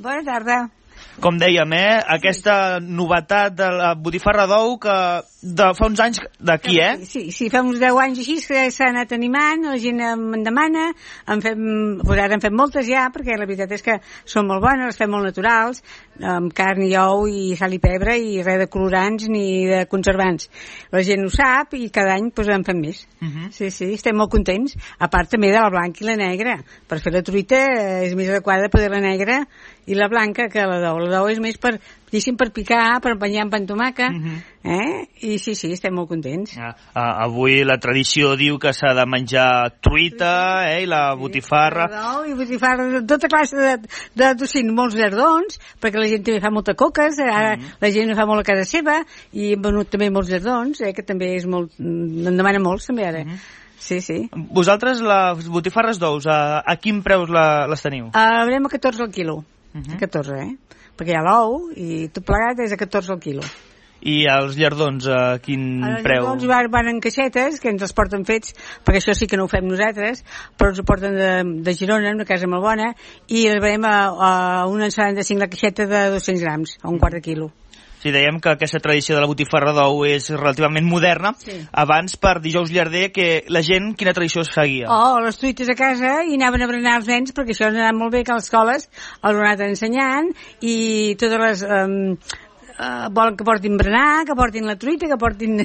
Bona tarda. Com dèiem, aquesta novetat de la botifarra d'ou que fa uns anys d'aquí, Sí, fa uns 10 anys així que s'ha anat animant, la gent em demana, ara en fem moltes ja, perquè la veritat és que són molt bones, les fem molt naturals, amb carn i ou i sal i pebre i res de colorants ni de conservants. La gent ho sap i cada any en fem més. Sí, estem molt contents. A part també de la blanca i la negra. Per fer la truita és més adequada poder la negra i la blanca que la d'ou. La d'ou és més per picar, per empenyar amb pa amb tomàquet, i sí, estem molt contents. Avui la tradició diu que s'ha de menjar truita, i la botifarra. D'ou i botifarra de tota classe de tocino, molts llardons, perquè la gent també fa moltes coques, ara la gent fa molt a casa seva, i hem venut també molts llardons, que també és molt, en demana molts també ara. Sí. Vosaltres, les botifarres d'ous, a quin preus les teniu? Veurem a 14 al quilo. A 14, perquè hi ha l'ou i tot plegat és a 14 al quilo. I els llardons, a quin preu? Els llardons van en caixetes, que ens els porten fets, perquè això sí que no ho fem nosaltres, però ens ho porten de Girona, una casa molt bona, i els veiem a una 75 la caixeta de 200 grams, a un quart de quilo. Sí, dèiem que aquesta tradició de la botifarra d'ou és relativament moderna. Sí. Abans, per dijous llarder, que la gent, quina tradició es seguia? Les truites a casa i anaven a berenar els nens, perquè això ens ha anat molt bé que a les escoles els han anat ensenyant, i totes les... volen que portin berenar, que portin la truita, que portin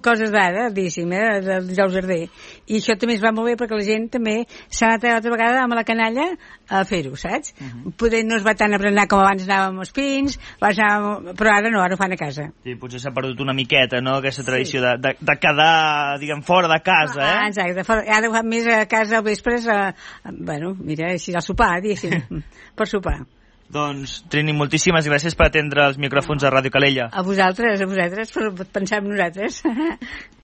coses d'ara, diguéssim, del dijous llarder. I això també es va molt bé perquè la gent també s'ha anat altra vegada amb la canalla a fer-ho, saps? Poder no es va tant a berenar com abans anàvem als pins, però ara no, ara ho fan a casa. Sí, potser s'ha perdut una miqueta, no?, aquesta tradició de quedar, diguem, fora de casa, Exacte, ara ho fan més a casa al vespre, mira, així al sopar, diguéssim, per sopar. Doncs, Trini, moltíssimes gràcies per atendre els micròfons de Ràdio Calella. A vosaltres, per pensar en nosaltres.